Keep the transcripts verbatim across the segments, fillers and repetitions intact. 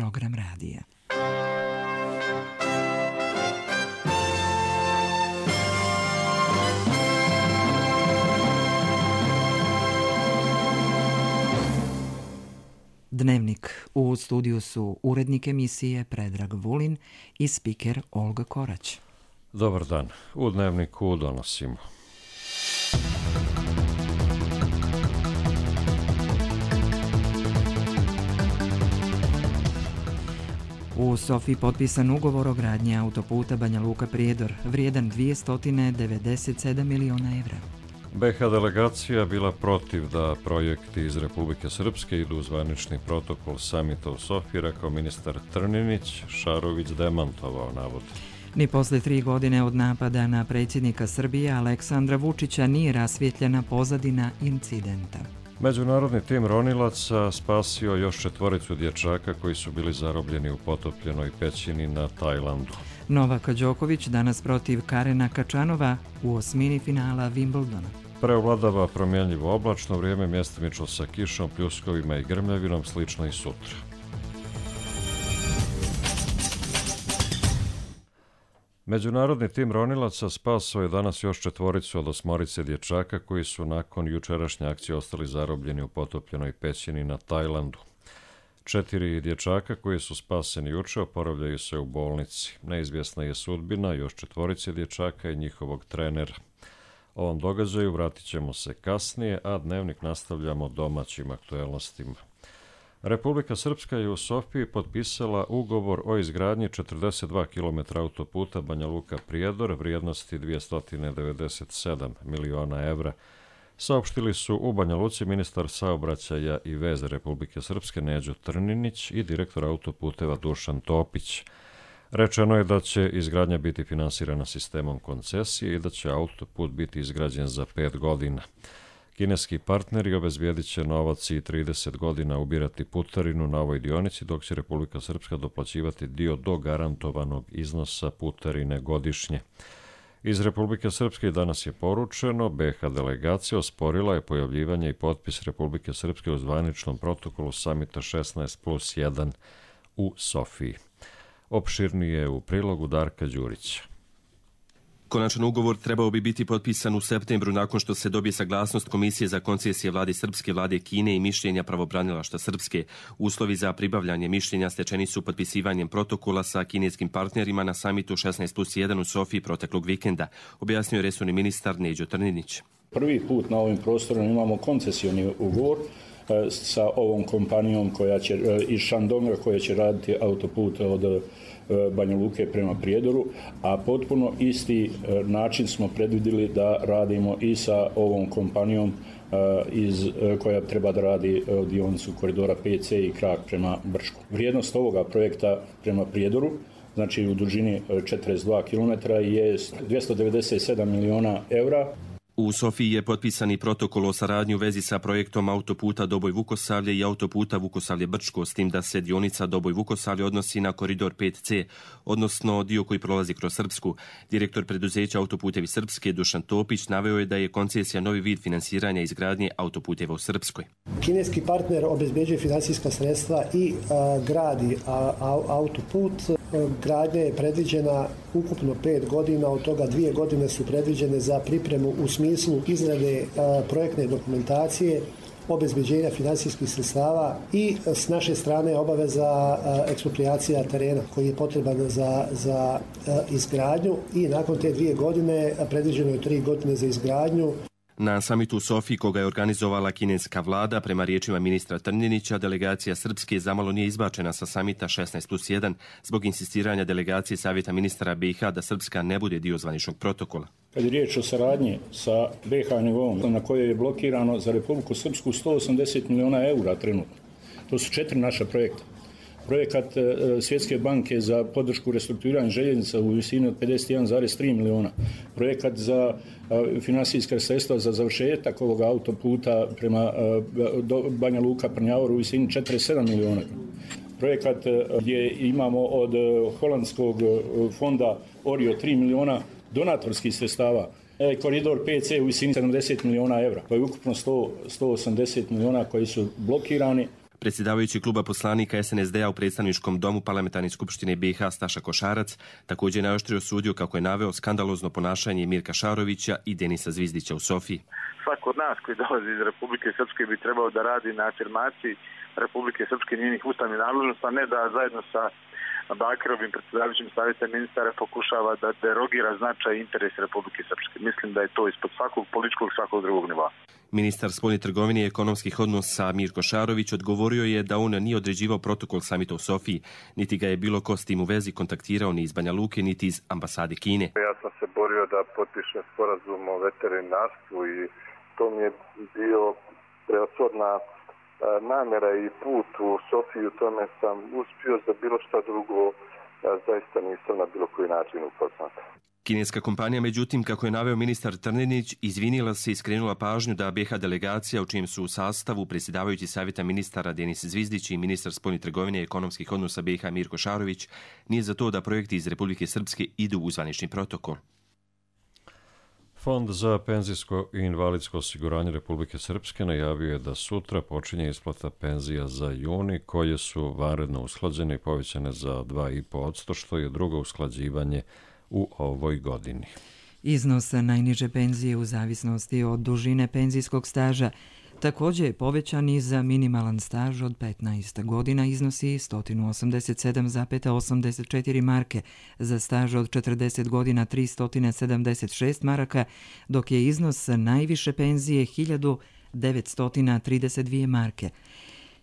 program radija. Dnevnik. U studiju su urednik emisije Predrag Vulin i spiker Olga Korać. Dobar dan. U Dnevniku donosimo. U Sofiji potpisan ugovor o gradnji autoputa Banja Luka-Prijedor, vrijedan dvjesto devedeset sedam miliona evra. be ha delegacija bila protiv da projekti iz Republike Srpske idu u zvanični protokol samita u Sofiji, rekao ministar Trninić. Šarović demantovao navod. Ni posle tri godine od napada na predsjednika Srbije Aleksandra Vučića nije rasvjetljena pozadina incidenta. Međunarodni tim ronilaca spasio još četvoricu dječaka koji su bili zarobljeni u potopljenoj pećini na Tajlandu. Novak Đoković danas protiv Karena Kačanova u osmini finala Wimbledona. Preovladava promjenljivo oblačno vrijeme, mjestimično sa kišom, pljuskovima i grmljavinom, slično i sutra. Međunarodni tim ronilaca spasao je danas još četvoricu od osmorice dječaka koji su nakon jučerašnje akcije ostali zarobljeni u potopljenoj pećini na Tajlandu. Četiri dječaka koji su spaseni juče oporavljaju se u bolnici. Neizvjesna je sudbina još četvorice dječaka i njihovog trenera. Ovom događaju vratit ćemo se kasnije, a dnevnik nastavljamo domaćim aktuelnostima. Republika Srpska je u Sofiji potpisala ugovor o izgradnji četrdeset dva kilometra autoputa Banja Luka-Prijedor vrijednosti dvjesto devedeset sedam miliona evra. Saopštili su u Banja Luci ministar saobraćaja i veze Republike Srpske Neđo Trninić i direktor autoputeva Dušan Topić. Rečeno je da će izgradnja biti finansirana sistemom koncesije i da će autoput biti izgrađen za pet godina. Kineski partneri obezbijedit će novac i trideset godina ubirati putarinu na ovoj dionici, dok će Republika Srpska doplaćivati dio do garantovanog iznosa putarine godišnje. Iz Republike Srpske danas je poručeno, be ha delegacija osporila je pojavljivanje i potpis Republike Srpske u zvaničnom protokolu samita šesnaest plus jedan u Sofiji. Opširnije u prilogu Darka Đurića. Konačan ugovor trebao bi biti potpisan u septembru nakon što se dobije saglasnost Komisije za koncesije vlade Srpske, vlade Kine i mišljenja pravobranilaštva Srpske. Uslovi za pribavljanje mišljenja stečeni su potpisivanjem protokola sa kineskim partnerima na samitu šesnaest plus jedan u Sofiji proteklog vikenda, objasnio je resorni ministar Neđo Trninić. Prvi put na ovim prostorima imamo koncesioni ugovor sa ovom kompanijom koja će, iz Šandonga koja će raditi autoput od Banja Luke prema Prijedoru, a potpuno isti način smo predvidjeli da radimo i sa ovom kompanijom iz, koja treba da radi dionicu koridora pet ce i krak prema Brčku. Vrijednost ovoga projekta prema Prijedoru, znači u dužini četrdeset dva kilometra, je dvjesto devedeset sedam miliona evra. U Sofiji je potpisani protokol o saradnji u vezi sa projektom autoputa Doboj-Vukosavlje i autoputa Vukosavlje-Brčko, s tim da se dionica Doboj-Vukosavlje odnosi na koridor pet ce, odnosno dio koji prolazi kroz Srpsku. Direktor preduzeća Autoputevi Srpske Dušan Topić naveo je da je koncesija novi vid finansiranja izgradnje autoputeva u Srpskoj. Kineski partner obezbeđuje finansijska sredstva i a, gradi a, a, autoput. Gradnja je predviđena ukupno pet godina, od toga dvije godine su predviđene za pripremu u smislu izrade a, projektne dokumentacije, obezbeđenja finansijskih sredstava i s naše strane obaveza a, eksproprijacija terena koji je potreban za, za a, izgradnju i nakon te dvije godine predviđeno je tri godine za izgradnju. Na samitu u Sofiji, koga je organizovala kineska vlada, prema riječima ministra Trninića, delegacija Srpske zamalo nije izbačena sa samita šesnaest plus jedan zbog insistiranja delegacije Savjeta ministara be ha da Srpska ne bude dio zvaničnog protokola. Kad je riječ o saradnji sa be ha nivom, na kojoj je blokirano za Republiku Srpsku sto osamdeset miliona eura trenutno. To su četiri naša projekta. Projekat Svjetske banke za podršku restrukturiranja željeznica u visini od pedeset jedan zarez tri miliona. Projekat za finansijska sredstva za završetak ovog autoputa prema Banja Luka Prnjavor u visini četrdeset sedam miliona. Projekat gdje imamo od holandskog fonda Orio tri miliona donatorskih sredstava. Koridor pet ce u visini sedamdeset miliona evra, pa je ukupno sto, sto osamdeset miliona koji su blokirani. Predsjedavajući kluba poslanika S N S D-a u predstavničkom domu Parlamentarne skupštine B i H Staša Košarac također je najoštrije osudio, kako je naveo, skandalozno ponašanje Mirka Šarovića i Denisa Zvizdića u Sofiji. Svako od nas koji dolazi iz Republike Srpske bi trebao da radi na afirmaciji Republike Srpske i njenih ustavnih nadležnosti, a ne da zajedno sa Bakirovim predsjedavajućim savjeta ministara pokušava da derogira značaj i interes Republike Srpske. Mislim da je to ispod svakog političkog i svakog drugog nivoa. Ministar spoljne trgovine i ekonomskih odnosa Mirko Šarović odgovorio je da on nije određivao protokol samita u Sofiji, niti ga je bilo ko s tim u vezi kontaktirao ni iz Banja Luke, niti iz ambasade Kine. Ja sam se borio da potpišem sporazum o veterinarstvu i to mi je bio preoshodna namjera i put u Sofiju. Tome sam uspio, za bilo šta drugo zaista nisam na bilo koji način upoznat. Kineska kompanija, međutim, kako je naveo ministar Trninić, izvinila se i skrenula pažnju da B i H delegacija, u čijem su u sastavu predsjedavajući savjeta ministara Denis Zvizdić i ministar spoljne trgovine i ekonomskih odnosa B i H Mirko Šarović, nije za to da projekti iz Republike Srpske idu u zvanični protokol. Fond za penzijsko i invalidsko osiguranje Republike Srpske najavio je da sutra počinje isplata penzija za juni, koje su vanredno usklađene i povećane za dva i po posto, što je drugo usklađivanje u ovoj godini. Iznos najniže penzije u zavisnosti od dužine penzijskog staža također je povećan i za minimalan staž od petnaest godina, iznosi sto osamdeset sedam zarez osamdeset četiri marke, za staž od četrdeset godina tristo sedamdeset šest maraka, dok je iznos najviše penzije hiljadu devetsto trideset dvije marke.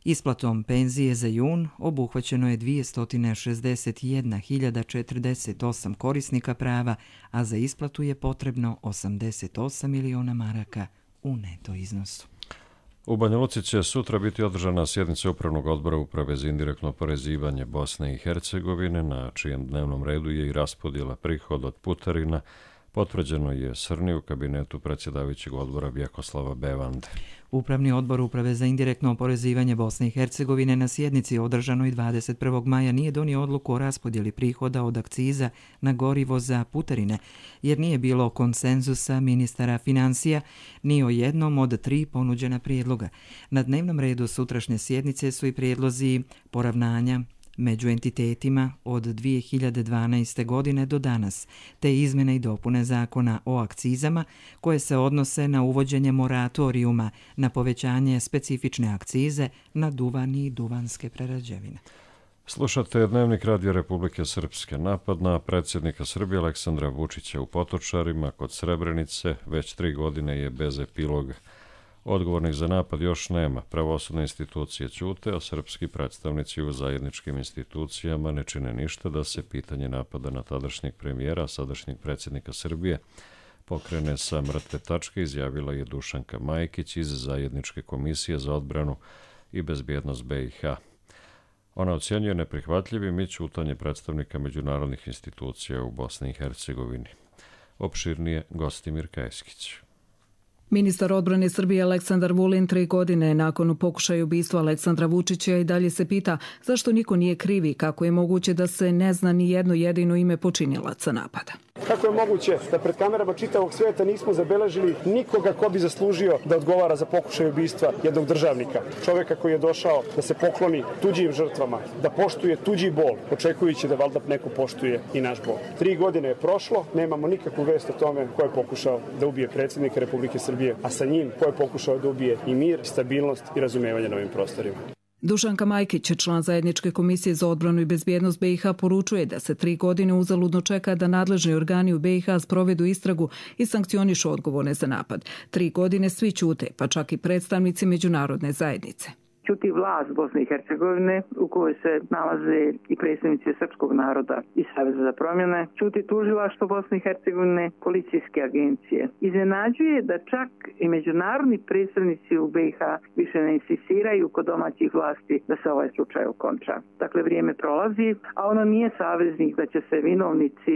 Isplatom penzije za jun obuhvaćeno je dvjesto šezdeset jedna hiljada četrdeset osam korisnika prava, a za isplatu je potrebno osamdeset osam miliona maraka u neto iznosu. U Banja Luci će sutra biti održana sjednica Upravnog odbora Uprave za indirektno oporezivanje Bosne i Hercegovine, na čijem dnevnom redu je i raspodjela prihoda od putarina. Potvrđeno je Srni u kabinetu predsjedavajućeg odbora Vjekoslava Bevande. Upravni odbor Uprave za indirektno oporezivanje Bosne i Hercegovine na sjednici održanoj dvadeset prvog maja nije donio odluku o raspodjeli prihoda od akciza na gorivo za putarine, jer nije bilo konsenzusa ministara financija ni o jednom od tri ponuđena prijedloga. Na dnevnom redu sutrašnje sjednice su i prijedlozi poravnanja među entitetima od dvije hiljade dvanaeste. godine do danas, te izmjene i dopune zakona o akcizama koje se odnose na uvođenje moratorijuma na povećanje specifične akcize na duvan i duvanske prerađevine. Slušate Dnevnik Radio Republike Srpske. Napad na predsjednika Srbije Aleksandra Vučića u Potočarima kod Srebrenice već tri godine je bez epiloga. Odgovornih za napad još nema. Pravosudne institucije ćute, a srpski predstavnici u zajedničkim institucijama ne čine ništa da se pitanje napada na tadašnjeg premijera, sadašnjeg predsjednika Srbije, pokrene sa mrtve tačke, izjavila je Dušanka Majkić iz Zajedničke komisije za odbranu i bezbjednost B i H. Ona ocjenjuje neprihvatljivim i ćutanje predstavnika međunarodnih institucija u Bosni i Hercegovini. Opširnije Gostimir Kajskić. Ministar odbrane Srbije Aleksandar Vulin tri godine nakon pokušaja ubistva Aleksandra Vučića i dalje se pita zašto niko nije krivi, kako je moguće da se ne zna ni jedno jedino ime počinilaca napada. Kako je moguće da pred kamerama čitavog svijeta nismo zabeležili nikoga ko bi zaslužio da odgovara za pokušaj ubistva jednog državnika, čovjeka koji je došao da se pokloni tuđim žrtvama, da poštuje tuđi bol, očekujući da valjda neko poštuje i naš bol. Tri godine je prošlo, nemamo nikakvu vest o tome ko je pokušao da ubije predsjednika Republike Srbije, a sa njim ko je pokušao da ubije i mir, stabilnost i razumevanje na ovim prostorima. Dušanka Majkić, član Zajedničke komisije za odbranu i bezbjednost B i H, poručuje da se tri godine uzaludno čeka da nadležni organi u B i H sprovedu istragu i sankcionišu odgovorne za napad. Tri godine svi ćute, pa čak i predstavnici međunarodne zajednice. Ćuti vlast Bosne i Hercegovine u kojoj se nalaze i predstavnici srpskog naroda i Saveza za promjene, ćuti tužilaštvo Bosne i Hercegovine, policijske agencije. Iznenađuje da čak i međunarodni predstavnici u B i H više ne insistiraju kod domaćih vlasti da se ovaj slučaj okonča. Dakle, vrijeme prolazi, a ono nije saveznik da će se vinovnici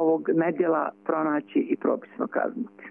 ovog nedjela pronaći i propisno kazniti.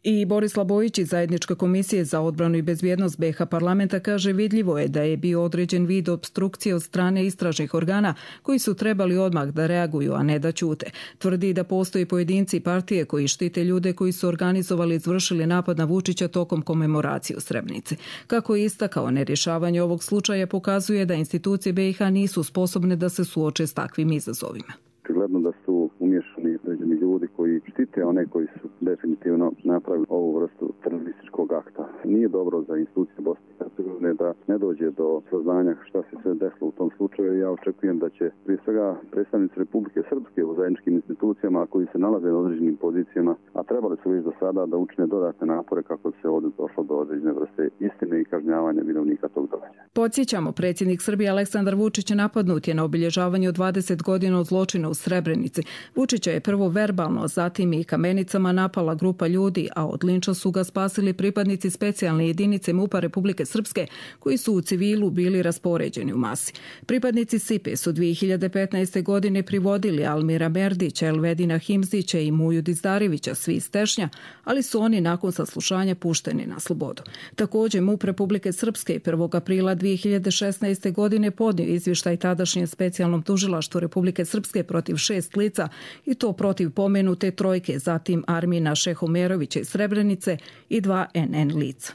I Borislav Bojić iz Zajedničke komisije za odbranu i bezbjednost B iH parlamenta kaže vidljivo je da je bio određen vid opstrukcije od strane istražnih organa koji su trebali odmah da reaguju, a ne da ćute. Tvrdi da postoji pojedinci i partije koji štite ljude koji su organizovali i izvršili napad na Vučića tokom komemoracije u Srebrenici. Kako je istakao, nerješavanje ovog slučaja pokazuje da institucije B iH nisu sposobne da se suoče s takvim izazovima. Očigledno da su umješani određeni ljudi koji štite one koji su definitivno napravili ovu vrstu terorističkog akta. Nije dobro za institucije Bosne i Hercegovine da ne dođe do saznanja šta se sve desilo u tom slučaju. Ja očekujem da će prije svega predstavnici Republike Srpske u zajedničkim institucijama koji se nalaze na određenim pozicijama, a trebali su već do sada da učine dodatne napore kako se ovdje došlo do određene vrste istine i kažnjavanja vinovnika tog događaja. Podsjećamo, predsjednik Srbije Aleksandar Vučić napadnut je na obilježavanju dvadeset godina od zločina u Srebrenici. Vučića je prvo verbalno, zatim i kamenicama napala grupa ljudi, a od linča su ga spasili pripadnici specijalne jedinice MUP-a Republike Srpske koji su u civilu bili raspoređeni u masi. Pripadnici S I P E su dvije hiljade petnaeste. godine privodili Almira Merdića, Elvedina Himzića i Muju Dizdarevića, svi iz Tešnja, ali su oni nakon saslušanja pušteni na slobodu. Također MUP Republike Srpske prvog aprila dvije hiljade šesnaeste. godine podnio izvještaj tadašnjem specijalnom tužilaštvu Republike Srpske protiv šest lica i to protiv pomenute trojke, zatim Armina Šehumerovića iz Srebrenice i dva N N lica.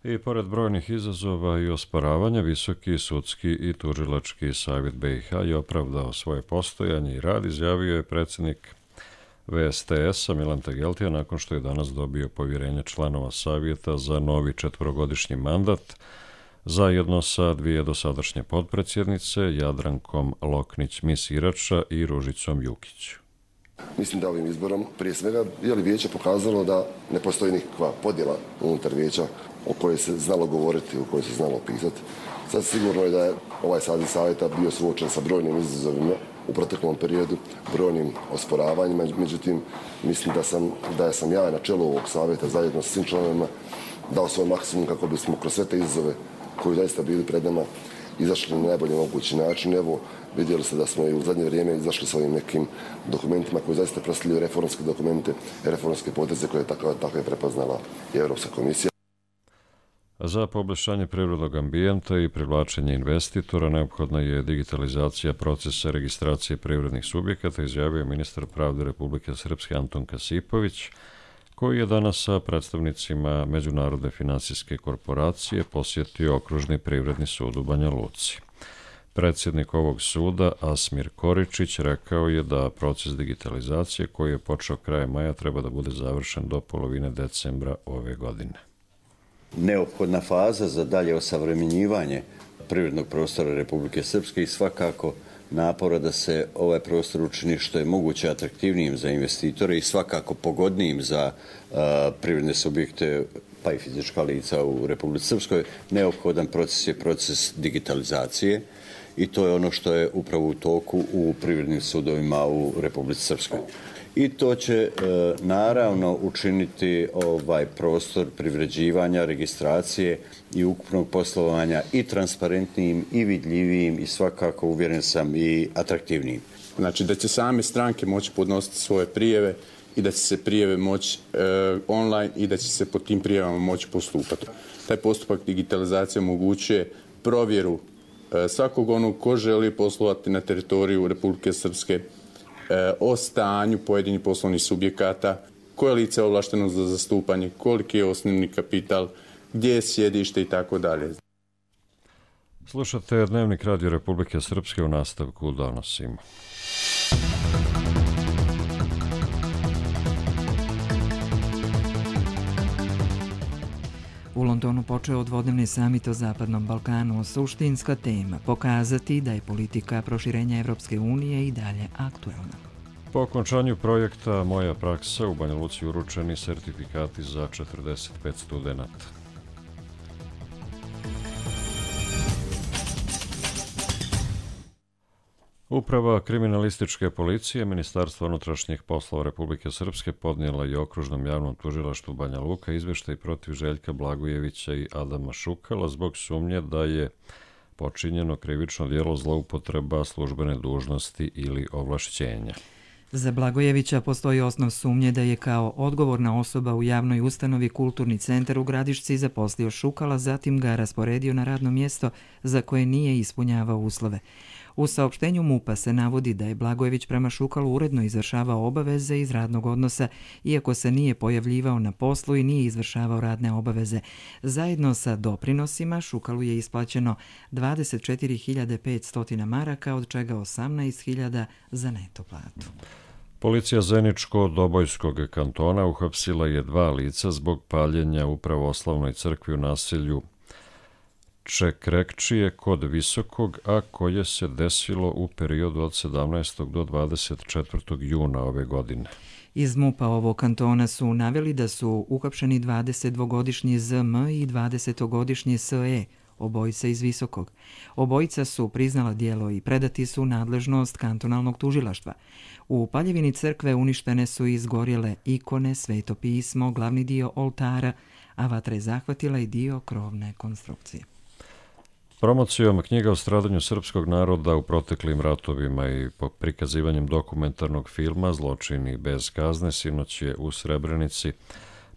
I pored brojnih izazova i osporavanja, Visoki sudski i tužilački savjet B iH je opravdao svoje postojanje i rad, izjavio je predsjednik V S T S-a Milan Tegeltija nakon što je danas dobio povjerenje članova savjeta za novi četvorogodišnji mandat, zajedno sa dvije dosadašnje potpredsjednice, Jadrankom Loknić-Misirača i Ružicom Jukić. Mislim da ovim izborom prije svega je li vijeće pokazalo da ne postoji nikakva podjela unutar vijeća o kojoj se znalo govoriti, o kojoj se znalo pisati. Sad sigurno je da je ovaj saziv savjeta bio suočen sa brojnim izazovima u proteklom periodu, brojnim osporavanjima, međutim mislim da sam, da sam ja na čelu ovog savjeta zajedno sa svim članovima dao svoj maksimum kako bismo kroz sve te izazove koji zaista bili pred nama izašli na najbolji mogući način. Evo, vidjeli ste da smo i u zadnje vrijeme izašli s ovim nekim dokumentima koji zaista predstavljaju reformske dokumente, reformske poteze koje je tako, tako je prepoznala i Europska komisija. Za poboljšanje privrednog ambijenta i privlačenje investitora neophodna je digitalizacija procesa registracije privrednih subjekata, izjavio ministar pravde Republike Srpske Anton Kasipović, koji je danas sa predstavnicima Međunarodne finansijske korporacije posjetio Okružni privredni sud u Banja Luci. Predsjednik ovog suda, Asmir Koričić, rekao je da proces digitalizacije koji je počeo krajem maja treba da bude završen do polovine decembra ove godine. Neophodna faza za dalje osavremenjivanje privrednog prostora Republike Srpske i svakako napora da se ovaj prostor učini što je moguće atraktivnijim za investitore i svakako pogodnijim za uh, privredne subjekte pa i fizička lica u Republici Srpskoj. Neophodan proces je proces digitalizacije i to je ono što je upravo u toku u privrednim sudovima u Republici Srpskoj. I to će e, naravno učiniti ovaj prostor privređivanja, registracije i ukupnog poslovanja i transparentnijim i vidljivijim i svakako uvjeren sam i atraktivnijim. Znači da će same stranke moći podnositi svoje prijeve i da će se prijeve moći e, online i da će se po tim prijevama moći postupati. Taj postupak digitalizacije omogućuje provjeru e, svakog onog ko želi poslovati na teritoriju Republike Srpske, o stanju pojedinih poslovnih subjekata, koje lice je ovlašteno za zastupanje, koliki je osnovni kapital, gdje je sjedište i tako dalje. Slušate Dnevnik Radio Republike Srpske, u nastavku donosimo. U Londonu počeo dvodnevni samit o Zapadnom Balkanu. Suštinska tema pokazati da je politika proširenja Evropske unije i dalje aktuelna. Po okončanju projekta Moja praksa u Banja Luci uručeni sertifikati za četrdeset pet studenata. Uprava kriminalističke policije Ministarstva unutrašnjih poslova Republike Srpske podnijela je Okružnom javnom tužilaštvu Banja Luka izvještaj protiv Željka Blagojevića i Adama Šukala zbog sumnje da je počinjeno krivično djelo zloupotreba službene dužnosti ili ovlašćenja. Za Blagojevića postoji osnov sumnje da je kao odgovorna osoba u javnoj ustanovi Kulturni centar u Gradišci zaposlio Šukala, zatim ga rasporedio na radno mjesto za koje nije ispunjavao uslove. U saopštenju MUP-a se navodi da je Blagojević prema Šukalu uredno izvršavao obaveze iz radnog odnosa, iako se nije pojavljivao na poslu i nije izvršavao radne obaveze. Zajedno sa doprinosima Šukalu je isplaćeno dvadeset četiri hiljade petsto maraka, od čega osamnaest hiljada za neto platu. Policija Zeničko-Dobojskog kantona uhapsila je dva lica zbog paljenja u pravoslavnoj crkvi u naselju Čekrekčije kod Visokog, a koje se desilo u periodu od sedamnaestog do dvadeset četvrtog juna ove godine. Iz MUP-a ovog kantona su naveli da su uhapšeni dvadesetdvogodišnji Z M i dvadesetogodišnji S E, obojica iz Visokog. Obojica su priznala djelo i predati su nadležnost kantonalnog tužilaštva. U paljevini crkve uništene su izgorjele ikone, sveto pismo, glavni dio oltara, a vatra je zahvatila i dio krovne konstrukcije. Promocijom knjiga o stradanju srpskog naroda u proteklim ratovima i po prikazivanjem dokumentarnog filma Zločini bez kazne sinoć je u Srebrenici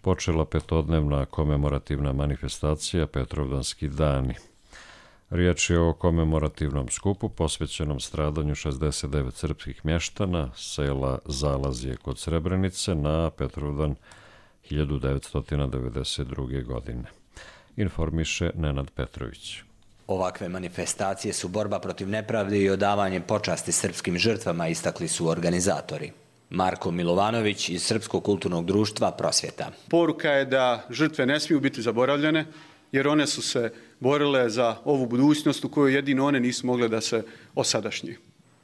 počela petodnevna komemorativna manifestacija Petrovdanski dani. Riječ je o komemorativnom skupu posvećenom stradanju šezdeset devet srpskih mještana sela Zalazje kod Srebrenice na Petrovdan hiljadu devetsto devedeset druge. godine. Informiše Nenad Petrović. Ovakve manifestacije su borba protiv nepravde i odavanje počasti srpskim žrtvama, istakli su organizatori. Marko Milovanović iz Srpskog kulturnog društva Prosvjeta. Poruka je da žrtve ne smiju biti zaboravljene, jer one su se borile za ovu budućnost u kojoj jedino one nisu mogle da se osadašnji.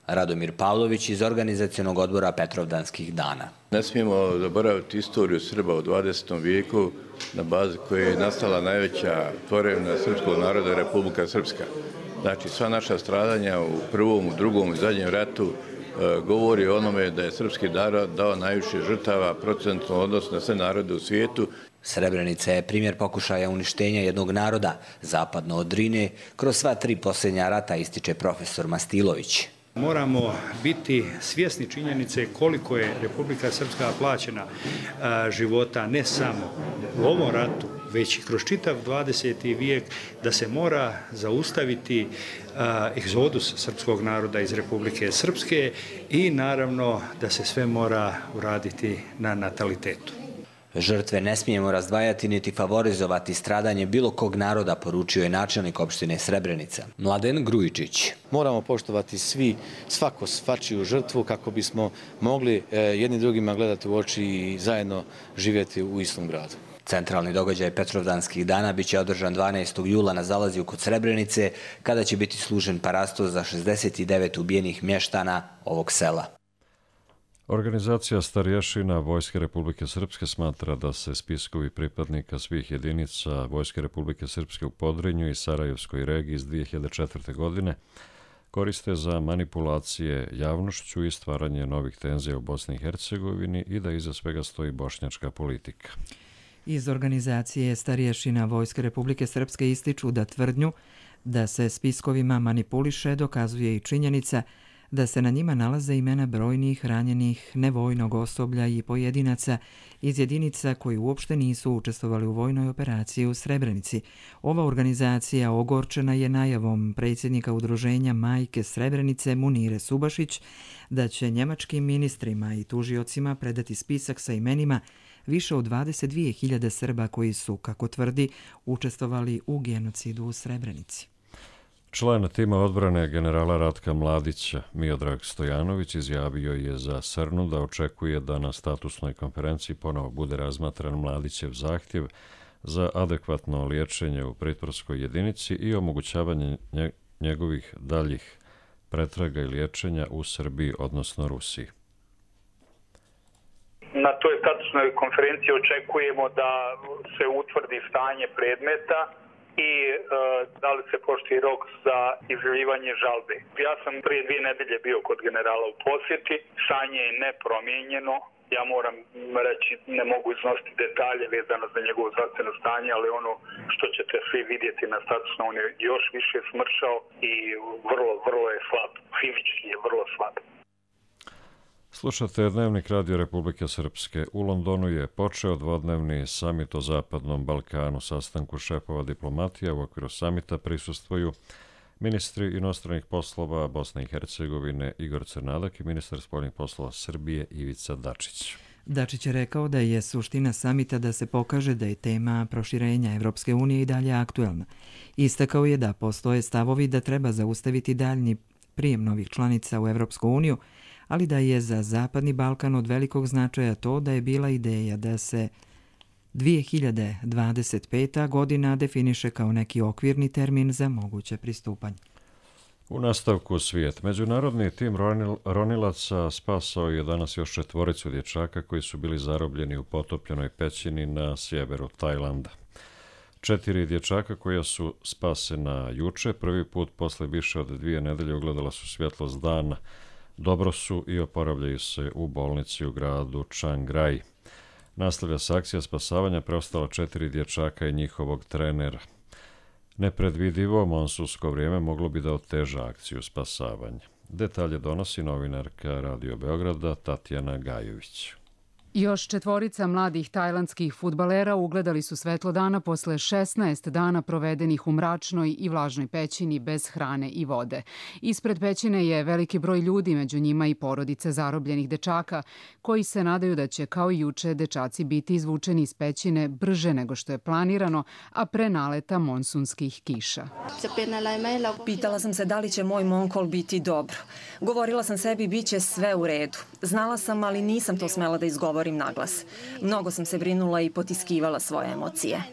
Radomir Pavlović iz organizacionog odbora Petrovdanskih dana. Ne smijemo zaboraviti istoriju Srba u dvadesetom vijeku, na bazi koje je nastala najveća tvorevina srpskog naroda, Republika Srpska. Znači, sva naša stradanja u prvom, u drugom i zadnjem ratu e, govori o onome da je srpski narod dao najviše žrtava procentno odnosno na sve narode u svijetu. Srebrenica je primjer pokušaja uništenja jednog naroda, zapadno od Drine, kroz sva tri posljednja rata, ističe profesor Mastilović. Moramo biti svjesni činjenice koliko je Republika Srpska plaćena a, života ne samo u ovom ratu, već i kroz čitav dvadeseti vijek, da se mora zaustaviti a, egzodus srpskog naroda iz Republike Srpske i naravno da se sve mora uraditi na natalitetu. Žrtve ne smijemo razdvajati niti favorizovati stradanje bilo kog naroda, poručio je načelnik opštine Srebrenica, Mladen Grujičić. Moramo poštovati svi, svako svačiju žrtvu kako bismo mogli jedni drugima gledati u oči i zajedno živjeti u istom gradu. Centralni događaj Petrovdanskih dana biće održan dvanaestog jula na Zalazju kod Srebrenice, kada će biti služen parasto za šezdeset devet ubijenih mještana ovog sela. Organizacija starješina Vojske Republike Srpske smatra da se spiskovi pripadnika svih jedinica Vojske Republike Srpske u Podrinju i Sarajevskoj regiji iz dvije hiljade četvrte. godine koriste za manipulacije javnošću i stvaranje novih tenzija u Bosni i Hercegovini i da iza svega stoji bošnjačka politika. Iz organizacije starješina Vojske Republike Srpske ističu da tvrdnju da se spiskovima manipuliše dokazuje i činjenica da se na njima nalaze imena brojnih ranjenih nevojnog osoblja i pojedinaca iz jedinica koji uopšte nisu učestvovali u vojnoj operaciji u Srebrenici. Ova organizacija ogorčena je najavom predsjednika udruženja Majke Srebrenice Munire Subašić da će njemačkim ministrima i tužiocima predati spisak sa imenima više od dvadeset dvije hiljade Srba koji su, kako tvrdi, učestvovali u genocidu u Srebrenici. Član tima odbrane generala Ratka Mladića, Miodrag Stojanović, izjavio je za Srnu da očekuje da na statusnoj konferenciji ponovo bude razmatran Mladićev zahtjev za adekvatno liječenje u pritvorskoj jedinici i omogućavanje njegovih daljih pretraga i liječenja u Srbiji, odnosno Rusiji. Na toj statusnoj konferenciji očekujemo da se utvrdi stanje predmeta i e, da li se poštuje rok za izjavljivanje žalbe. Ja sam prije dvije nedelje bio kod generala u posjeti, stanje je nepromijenjeno. Ja moram reći, ne mogu iznositi detalje vezano za njegovo zdravstveno stanje, ali ono što ćete svi vidjeti na statusno, on je još više smršao i vrlo, vrlo je slab. Fizički je vrlo slab. Slušate Dnevnik Radio Republike Srpske. U Londonu je počeo dvodnevni samit o Zapadnom Balkanu. Sastanku šefova diplomatija u okviru samita prisustvuju ministri inostranih poslova Bosne i Hercegovine Igor Crnadak i ministar spoljnih poslova Srbije Ivica Dačić. Dačić je rekao da je suština samita da se pokaže da je tema proširenja Evropske unije i dalje aktuelna. Istakao je da postoje stavovi da treba zaustaviti daljni prijem novih članica u Evropsku uniju, ali da je za Zapadni Balkan od velikog značaja to da je bila ideja da se dvije hiljade dvadeset peta. godina definiše kao neki okvirni termin za moguće pristupanje. U nastavku svijet. Međunarodni tim ronilaca spasao je danas još četvoricu dječaka koji su bili zarobljeni u potopljenoj pećini na sjeveru Tajlanda. Četiri dječaka koja su spasena juče, prvi put posle više od dvije nedelje ugledala su svjetlost dana. Dobro su i oporavljaju se u bolnici u gradu Chiang Rai. Nastavlja se akcija spasavanja preostala četiri dječaka i njihovog trenera. Nepredvidivo monsunsko vrijeme moglo bi da oteža akciju spasavanja. Detalje donosi novinarka Radio Beograda Tatjana Gajović. Još četvorica mladih tajlandskih fudbalera ugledali su svetlo dana posle šesnaest dana provedenih u mračnoj i vlažnoj pećini bez hrane i vode. Ispred pećine je veliki broj ljudi, među njima i porodice zarobljenih dečaka, koji se nadaju da će kao i juče dečaci biti izvučeni iz pećine brže nego što je planirano, a pre naleta monsunskih kiša. Pitala sam se da li će moj monkol biti dobro. Govorila sam sebi bit će sve u redu. Znala sam, ali nisam to smela da izgovorim naglas. Mnogo sam se brinula i potiskivala svoje emocije.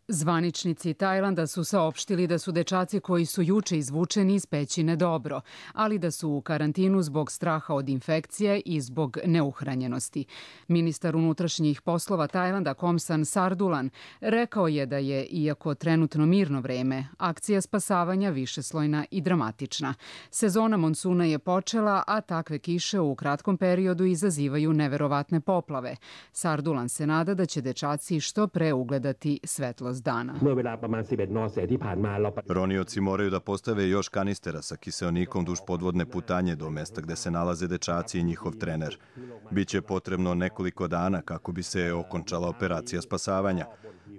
Zvaničnici Tajlanda su saopštili da su dečaci koji su juče izvučeni iz pećine dobro, ali da su u karantinu zbog straha od infekcije i zbog neuhranjenosti. Ministar unutrašnjih poslova Tajlanda Komsan Sardulan rekao je da je, iako trenutno mirno vreme, akcija spasavanja višeslojna i dramatična. Sezona monsuna je počela, a takve kiše u kratkom periodu izazivaju neverovatne poplave. Sardulan se nada da će dečaci što pre ugledati svetlost dana. Ronioci moraju da postave još kanistera sa kiseonikom duž podvodne putanje do mesta gde se nalaze dečaci i njihov trener. Biće potrebno nekoliko dana kako bi se okončala operacija spasavanja.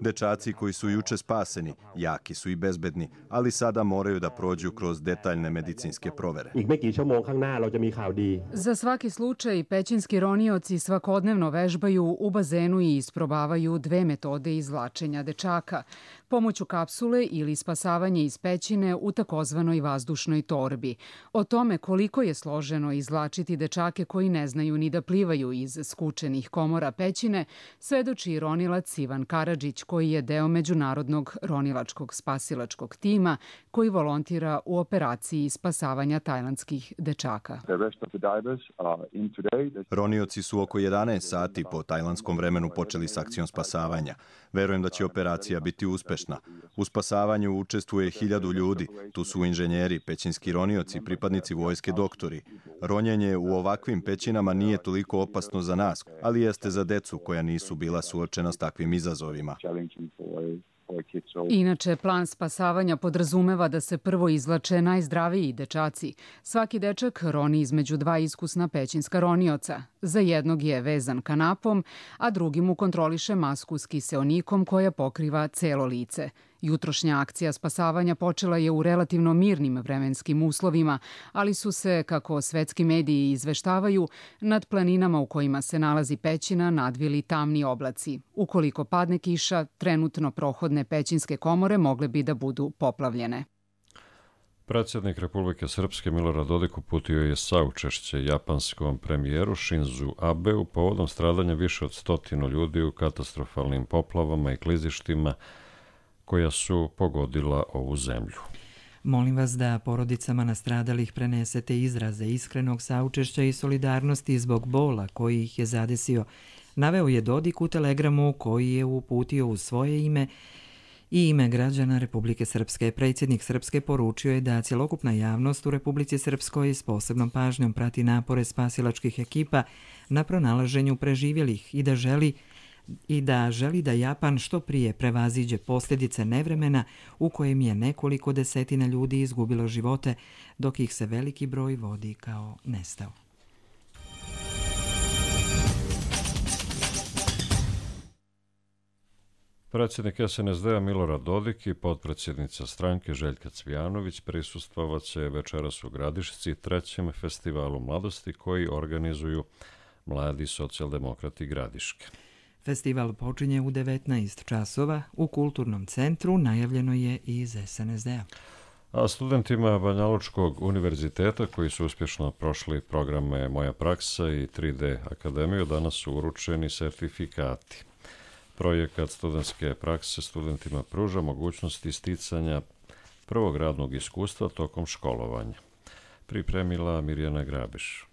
Dečaci koji su juče spaseni, jaki su i bezbedni, ali sada moraju da prođu kroz detaljne medicinske provere. Za svaki slučaj, pećinski ronioci svakodnevno vežbaju u bazenu i isprobavaju dve metode izvlačenja dečaka. Pomoću kapsule ili spasavanje iz pećine u takozvanoj vazdušnoj torbi. O tome koliko je složeno izvlačiti dečake koji ne znaju ni da plivaju iz skučenih komora pećine, svedoči ronilac Ivan Karadžić, koji je deo međunarodnog ronilačkog spasilačkog tima koji volontira u operaciji spasavanja tajlandskih dečaka. Ronioci su oko jedanaest sati po tajlandskom vremenu počeli s akcijom spasavanja. Verujem da će operacija biti uspešna. U spasavanju učestvuje hiljadu ljudi. Tu su inženjeri, pećinski ronioci, pripadnici vojske, doktori. Ronjenje u ovakvim pećinama nije toliko opasno za nas, ali jeste za decu koja nisu bila suočena s takvim izazovima. Inače, plan spasavanja podrazumeva da se prvo izvlače najzdraviji dečaci. Svaki dečak roni između dva iskusna pećinska ronioca. Za jednog je vezan kanapom, a drugi mu kontroliše masku s kiseonikom koja pokriva celo lice. Jutrošnja akcija spasavanja počela je u relativno mirnim vremenskim uslovima, ali su se, kako svetski mediji izveštavaju, nad planinama u kojima se nalazi pećina nadvili tamni oblaci. Ukoliko padne kiša, trenutno prohodne pećinske komore mogle bi da budu poplavljene. Predsjednik Republike Srpske Milorad Dodik uputio je saučešće japanskom premijeru Shinzu Abeu povodom stradanja više od stotinu ljudi u katastrofalnim poplavama i klizištima koja su pogodila ovu zemlju. Molim vas da porodicama nastradalih prenesete izraze iskrenog saučešća i solidarnosti zbog bola koji ih je zadesio, naveo je Dodik u telegramu koji je uputio u svoje ime i ime građana Republike Srpske. Predsjednik Srpske poručio je da cjelokupna javnost u Republici Srpskoj s posebnom pažnjom prati napore spasilačkih ekipa na pronalaženju preživjelih i da želi i da želi da Japan što prije prevaziđe posljedice nevremena u kojem je nekoliko desetina ljudi izgubilo živote, dok ih se veliki broj vodi kao nestao. Predsjednik S N S D-a Milorad Dodik i potpredsjednica stranke Željka Cvijanović prisustvovat će večeras u Gradišci trećem festivalu mladosti koji organizuju Mladi socijaldemokrati Gradiške. Festival počinje u devetnaest časova. U kulturnom centru najavljeno je i iz S N S D-a. A studentima Banjalučkog univerziteta koji su uspješno prošli programe Moja praksa i tri D akademiju danas su uručeni sertifikati. Projekat studentske prakse studentima pruža mogućnost isticanja prvog radnog iskustva tokom školovanja. Pripremila Mirjana Grabiš.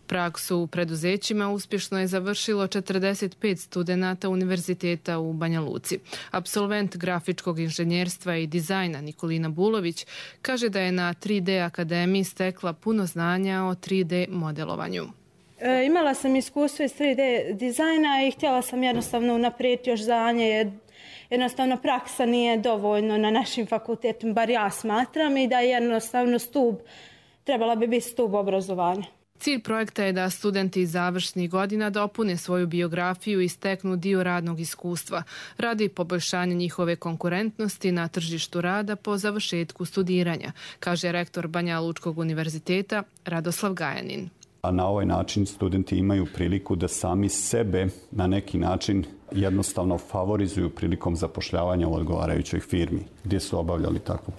Praksu u preduzećima uspješno je završilo četrdeset pet studenata Univerziteta u Banja Luci. Apsolvent grafičkog inženjerstva i dizajna Nikolina Bulović kaže da je na tri D akademiji stekla puno znanja o tri D modelovanju. E, imala sam iskustvo iz tri D dizajna i htjela sam jednostavno unaprijediti još znanje, jer jednostavno praksa nije dovoljno na našim fakultetima, bar ja smatram, i da je jednostavno stup, trebala bi biti stup obrazovanja. Cilj projekta je da studenti iz završnih godina dopune svoju biografiju i steknu dio radnog iskustva radi poboljšanja njihove konkurentnosti na tržištu rada po završetku studiranja, kaže rektor Banja Lučkog univerziteta Radoslav Gajanin. A na ovaj način studenti imaju priliku da sami sebe na neki način jednostavno favorizuju prilikom zapošljavanja u odgovarajućoj firmi gdje su obavljali takvu,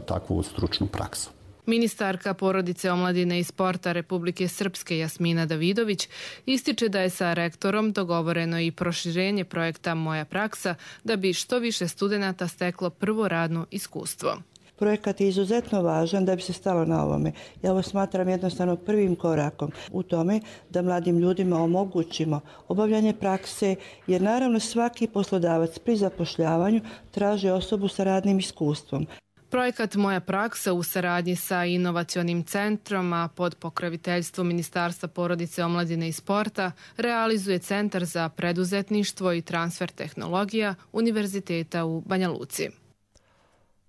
takvu stručnu praksu. Ministarka porodice, omladine i sporta Republike Srpske Jasmina Davidović ističe da je sa rektorom dogovoreno i proširenje projekta Moja praksa da bi što više studenata steklo prvo radno iskustvo. Projekat je izuzetno važan da bi se stalo na ovome. Ja ovo smatram jednostavno prvim korakom u tome da mladim ljudima omogućimo obavljanje prakse, jer naravno svaki poslodavac pri zapošljavanju traži osobu sa radnim iskustvom. Projekat Moja praksa u saradnji sa inovacionim centrom, a pod pokroviteljstvom Ministarstva porodice, omladine i sporta, realizuje Centar za preduzetništvo i transfer tehnologija Univerziteta u Banja Luci.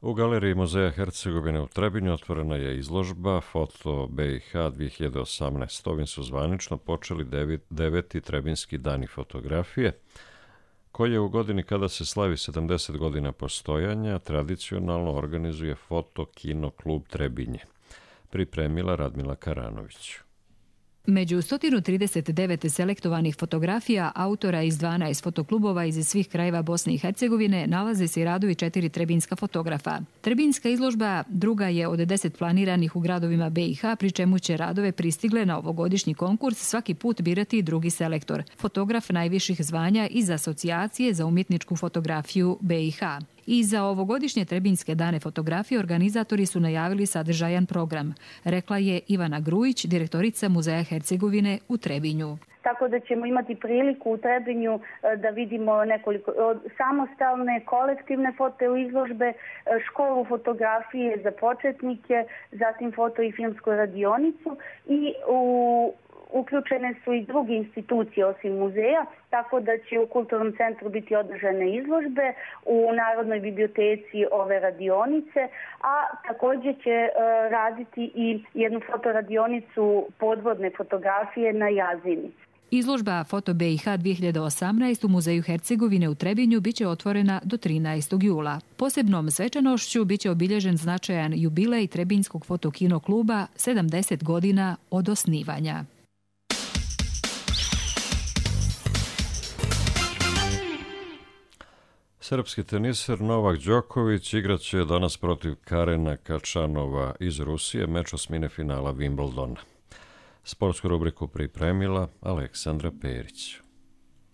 U galeriji Muzeja Hercegovine u Trebinju otvorena je izložba Foto B i H dvije hiljade osamnaest. Ovim su zvanično počeli deveti Trebinski dani fotografije, koje u godini kada se slavi sedamdeset godina postojanja tradicionalno organizuje Foto Kino klub Trebinje. Pripremila Radmila Karanović. Među sto trideset devet selektovanih fotografija autora iz dvanaest fotoklubova iz svih krajeva Bosne i Hercegovine nalaze se i radovi četiri trebinska fotografa. Trebinska izložba druga je od deset planiranih u gradovima B i H, pri čemu će radove pristigle na ovogodišnji konkurs svaki put birati drugi selektor, fotograf najviših zvanja iz Asocijacije za umjetničku fotografiju B i H. I za ovogodišnje Trebinske dane fotografije organizatori su najavili sadržajan program, rekla je Ivana Grujić, direktorica Muzeja Hercegovine u Trebinju. Tako da ćemo imati priliku u Trebinju da vidimo nekoliko samostalne, kolektivne foto izložbe, školu fotografije za početnike, zatim foto i filmsku radionicu i u uključene su i druge institucije osim muzeja, tako da će u Kulturnom centru biti održane izložbe, u Narodnoj biblioteci ove radionice, a također će uh, raditi i jednu fotoradionicu podvodne fotografije na Jazini. Izložba Foto B i H dvije hiljade osamnaest u Muzeju Hercegovine u Trebinju biće otvorena do trinaestog jula. Posebnom svečanošću biće obilježen značajan jubilej Trebinskog fotokino kluba sedamdeset godina od osnivanja. Srpski teniser Novak Đoković igraće danas protiv Karena Kačanova iz Rusije, meč osmine finala Wimbledona. Sportsku rubriku pripremila Aleksandra Perić.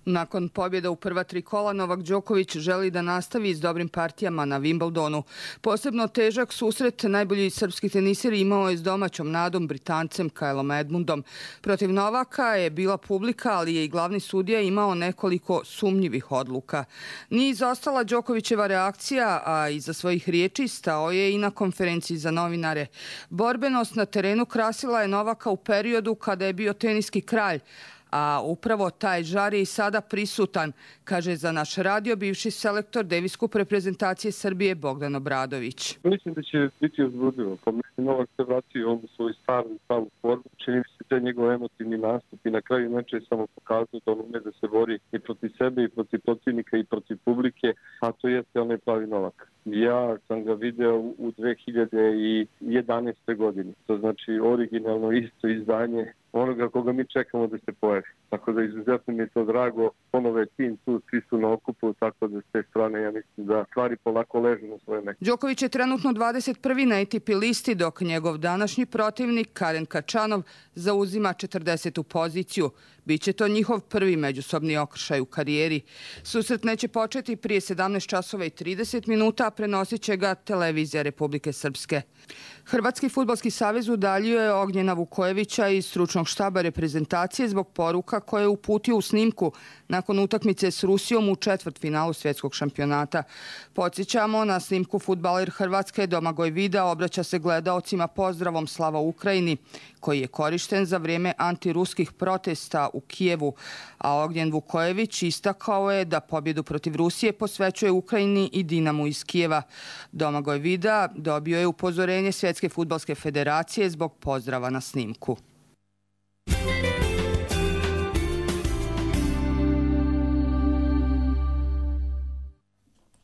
Nakon pobjeda u prva tri kola, Novak Đoković želi da nastavi s dobrim partijama na Wimbledonu. Posebno težak susret najbolji srpski teniser imao je s domaćom nadom Britancem Kylom Edmundom. Protiv Novaka je bila publika, ali je i glavni sudija imao nekoliko sumnjivih odluka. Nije izostala Đokovićeva reakcija, a iza svojih riječi stao je i na konferenciji za novinare. Borbenost na terenu krasila je Novaka u periodu kada je bio teniski kralj, a upravo taj žar je i sada prisutan, kaže za naš radio bivši selektor Davis Cup reprezentacije Srbije Bogdan Obradović. Mislim da će biti uzbudljivo. Po meni Novak se vratio on u svoju starnu pravu formu. Čini mi se da taj njegov emotivni nastup i na kraju meča je samo pokazao da on ume da se bori i protiv sebe i protiv protivnika i protiv publike, a to jeste onaj pravi Novak. Ja sam ga video u dve hiljade jedanaestoj godini, to znači originalno isto izdanje onoga koga mi čekamo da se pojavi. Tako da izuzetno mi je to drago, ponovo je tim tu, svi su na okupu, tako da s te strane ja mislim da stvari polako ležu na svoje mesto. Đoković je trenutno dvadeset prvi na A T P listi, dok njegov današnji protivnik Karen Kačanov zauzima četrdesetu poziciju. Biće to njihov prvi međusobni okršaj u karijeri. Susret neće početi prije sedamnaest časova i trideset minuta, a prenosit će ga televizija Republike Srpske. Hrvatski fudbalski savez udaljio je Ognjena Vukojevića iz stručnog štaba reprezentacije zbog poruka koje je uputio u snimku nakon utakmice s Rusijom u četvrtfinalu svjetskog šampionata. Podsjećamo, na snimku fudbaler Hrvatske Domagoj Vida obraća se gledaocima pozdravom Slava Ukrajini, koji je korišten za vrijeme antiruskih protesta u Kijevu, a Ognjen Vukojević istakao je da pobjedu protiv Rusije posvećuje Ukrajini i Dinamu iz Kijeva. Domagoj Vida dobio je upozorenje Svjetske fudbalske federacije zbog pozdrava na snimku.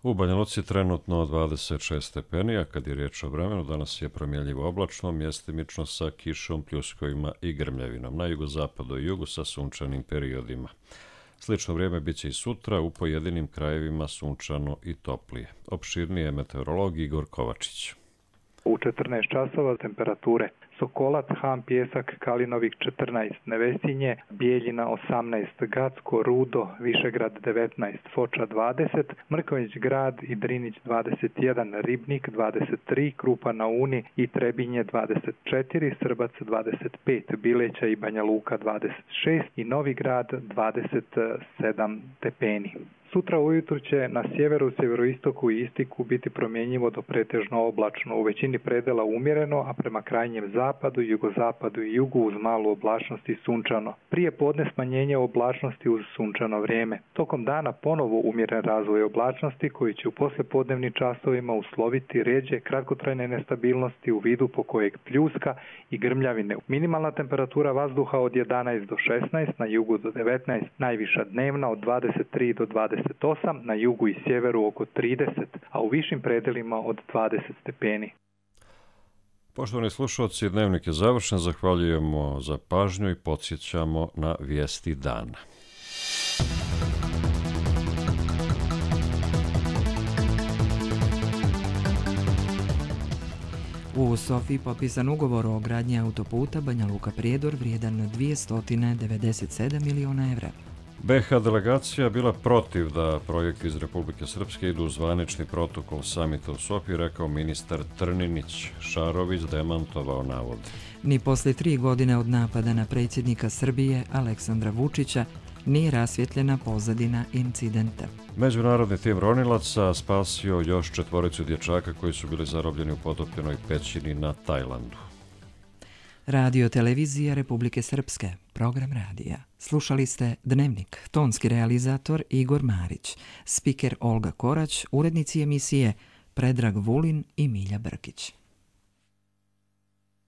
U Banja Luci trenutno dvadeset šest stepeni, a kad je riječ o vremenu, danas je promjenljivo oblačno, mjestimično sa kišom, pljuskovima i grmljavinom. Na jugozapadu i jugu sa sunčanim periodima. Slično vrijeme bit će i sutra, u pojedinim krajevima sunčano i toplije. Opširnije meteorolog Igor Kovačić. U četrnaest časova temperature: Sokolac, Han, Pjesak, Kalinovik četrnaest, Nevesinje, Bijeljina osamnaest, Gacko, Rudo, Višegrad devetnaest, Foča dvadeset, Mrković Grad i Drinić dvadeset jedan, Ribnik dvadeset tri, Krupa na Uni i Trebinje dvadeset četiri, Srbac dvadeset pet, Bileća i Banja Luka dvadeset šest i Novi Grad dvadeset sedam stepeni. Sutra ujutru će na sjeveru, sjeveroistoku i istiku biti promjenjivo do pretežno oblačno, u većini predela umjereno, a prema krajnjem zapadu, jugozapadu i jugu uz malu oblačnost i sunčano. Prije podne smanjenje oblačnosti uz sunčano vrijeme. Tokom dana ponovo umjeren razvoj oblačnosti koji će u poslijepodnevnim časovima usloviti ređe kratkotrajne nestabilnosti u vidu po kojeg pljuska i grmljavine. Minimalna temperatura vazduha od jedanaest do šesnaest, na jugu do devetnaest, najviša dnevna od dvadeset tri do dvadeset osam, na jugu i sjeveru oko trideset, a u višim predelima od dvadeset stepeni. Poštovani slušalci, dnevnik je završen. Zahvaljujemo za pažnju i podsjećamo na vijesti dana. U Sofiji potpisan ugovor o gradnji autoputa Banja Luka-Prijedor vrijedan dvjesto devedeset sedam miliona evra. B iH delegacija bila protiv da projekti iz Republike Srpske idu u zvanični protokol samita u Sofiji, rekao ministar Trninić. Šarović demantovao navod. Ni poslije tri godine od napada na predsjednika Srbije Aleksandra Vučića nije rasvjetljena pozadina incidenta. Međunarodni tim ronilaca spasio još četvoricu dječaka koji su bili zarobljeni u potopljenoj pećini na Tajlandu. Radio televizija Republike Srpske, program radija. Slušali ste Dnevnik, tonski realizator Igor Marić, spiker Olga Korać, urednici emisije Predrag Vulin i Milja Brkić.